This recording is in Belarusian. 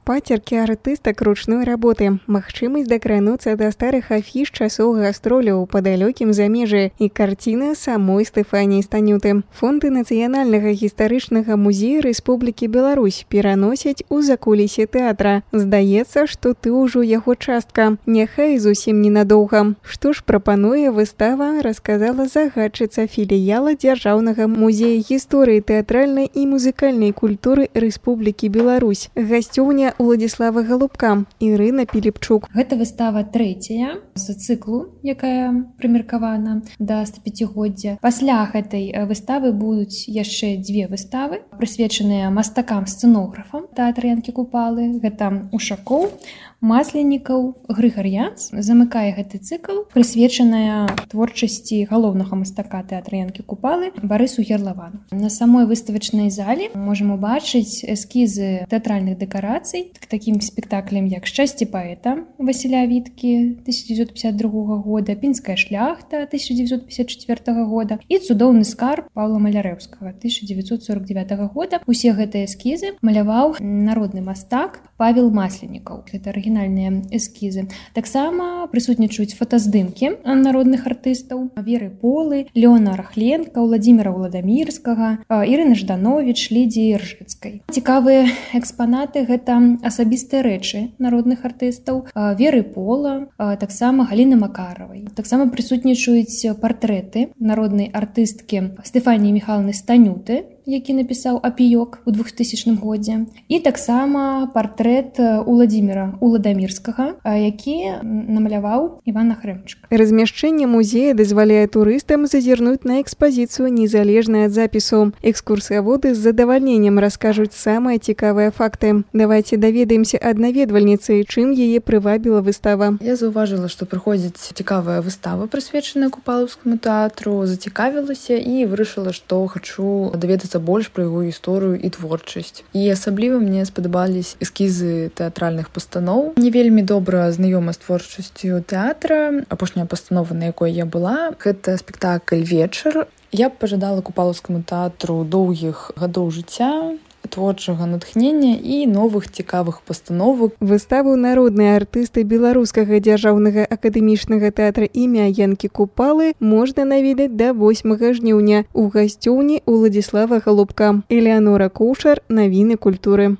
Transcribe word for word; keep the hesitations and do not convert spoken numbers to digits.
Пацеркі артыстак ручной работы, магчымасць дакрануцца да старых афіш часоў гастроляў па далёкім замежжы і карціна самой Стэфаніі Станюты. Фонды Нацыянальнага гістарычнага музея Рэспублікі Беларусь пераносяць у закулісе тэатра. Здаецца, што ты ўжо яго частка, няхай зусім ненадоўга. Што ж прапануе выстава, расказала загадчыца філіяла Дзяржаўнага музея гісторыі тэатральнай і музыкальнай культуры Рэспублікі Беларусь. Гасцёўня Уладзіслава Галубка, Ірына Піліпчук. Гэта выстава трэцяя з цыклу, якая прымеркавана да стапяцігоддзя. Пасля гэтай выставы будуць яшчэ дзве выставы, прысвечаныя мастакам-сцэнографам тэатра Янкі Купалы. Гэта Ушакоў, Масленнікаў, Грыгар'янц. Замыкае гэты цыкл, прысвечаная творчасці галоўнага мастака тэатра Янкі Купалы Барысу Герлавану. На самой выставачнай зале можам убачыць эскізы тэатральных дэкарацый к такім спектаклям, як «Шчасце паэта» Васіля Віткі тысяча дзевяцьсот пятьдесят другога года, «Пінская шляхта» тысяча дзевяцьсот пятьдесят четвёртага года і «Цудоўны скарб» Паўла Малярэўскага тысяча дзевяцьсот сорок девятага года. Усе гэтыя эскізы маляваў народны мастак Павел Масленнікаў. Гэта арыгінальныя эскізы. Таксама прысутнічаюць фотаздымкі народных артыстаў Веры Полы, Леона Рахленка, Владзіміра Владамірскага, Ірыны Ждановіч, Лідзіі Ржыцкай. Цікавыя экспанаты — гэта асабістыя рэчы народных артыстаў Веры Пола, таксама Галіны Макаравай. Таксама прысутнічаюць партрэты народнай артысткі Стэфаніі Міхайлаўны Станюты, які напісаў «Апіёк» у двухтысячным годзе, і таксама партрэт Уладзіміра Уладамірскага, які намаляваў Іван Ахрэмчык. Размяшчэнне музея дазваляе турыстам зазірнуць на экспазіцыю незалежна ад запісу. Экскурсаводы з задавальненнем раскажуць самыя цікавыя факты. Давайце даведаемся ад наведвальніцы, чым яе прывабіла выстава. Я заўважыла, што прыходзіць цікавая выстава, прысвечаная Купалаўскаму тэатру, зацікавілася і вырашыла, што хачу даведацца больш пра яго гісторыю і творчасць. І асабліва мне спадабались эскізы тэатральных пастаноў. Не вельмі добра знаёма з творчасцю тэатра. Апошняя пастанова, на якой я была, гэта спектакль «Вечар». Я б пажадала Купалаўскаму тэатру доўгіх гадоў жыцця, творчага натхнення і новых цікавых пастановак. Выставу народныя артысты Беларускага дзяржаўнага акадэмічнага тэатра імя Янкі Купалы можна наведаць да восьмага жніўня у гасцёўні Уладзіслава Галубка. Элеанора Кушар, навіны культуры.